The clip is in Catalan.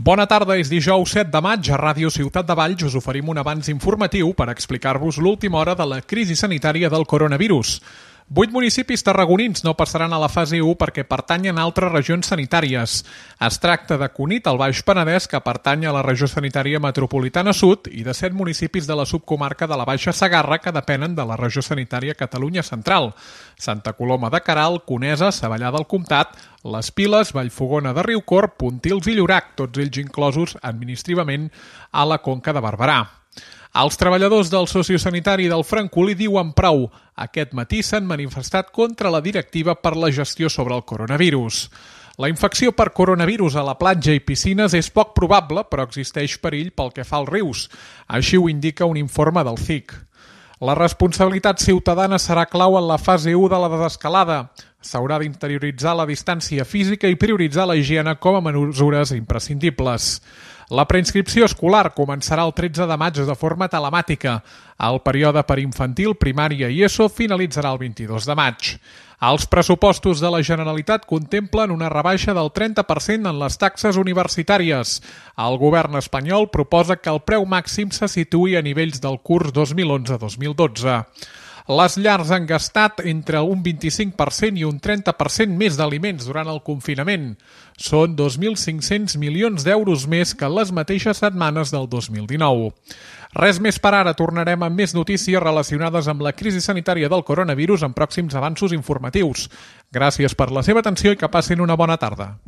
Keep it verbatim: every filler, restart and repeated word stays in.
Bona tarda, és dijous set de maig. A Ràdio Ciutat de Valls us oferim un avanç informatiu per explicar-vos l'última hora de la crisi sanitària del coronavirus. Vuit municipis tarragonins no passaran a la fase u perquè pertanyen a altres regions sanitàries. Es tracta de Cunit, al Baix Penedès, que pertany a la regió sanitària metropolitana sud, i de set municipis de la subcomarca de la Baixa Segarra, que depenen de la regió sanitària Catalunya Central: Santa Coloma de Queralt, Conesa, Savallà del Comtat, Les Piles, Vallfogona de Riucorb, Pontils i Llorac, tots ells inclosos administrativament a la Conca de Barberà. Els treballadors del sociosanitari del Francolí diuen prou. Aquest matí s'han manifestat contra la directiva per la gestió sobre el coronavirus. La infecció per coronavirus a la platja i piscines és poc probable, però existeix perill pel que fa als rius. Així ho indica un informe del C I C. La responsabilitat ciutadana serà clau en la fase u de la desescalada. S'haurà d'interioritzar la distància física i prioritzar la higiene com a mesures imprescindibles. La preinscripció escolar començarà el tretze de maig de forma telemàtica. El període per infantil, primària i ESO finalitzarà el vint-i-dos de maig. Els pressupostos de la Generalitat contemplen una rebaixa del trenta per cent en les taxes universitàries. El govern espanyol proposa que el preu màxim se situï a nivells del curs dos mil onze dos mil dotze. Les llars han gastat entre un vint-i-cinc per cent i un trenta per cent més d'aliments durant el confinament. Són dos mil cinc-cents milions d'euros més que en les mateixes setmanes del dos mil dinou. Res més per ara, tornarem amb més notícies relacionades amb la crisi sanitària del coronavirus en pròxims avanços informatius. Gràcies per la seva atenció i que passin una bona tarda.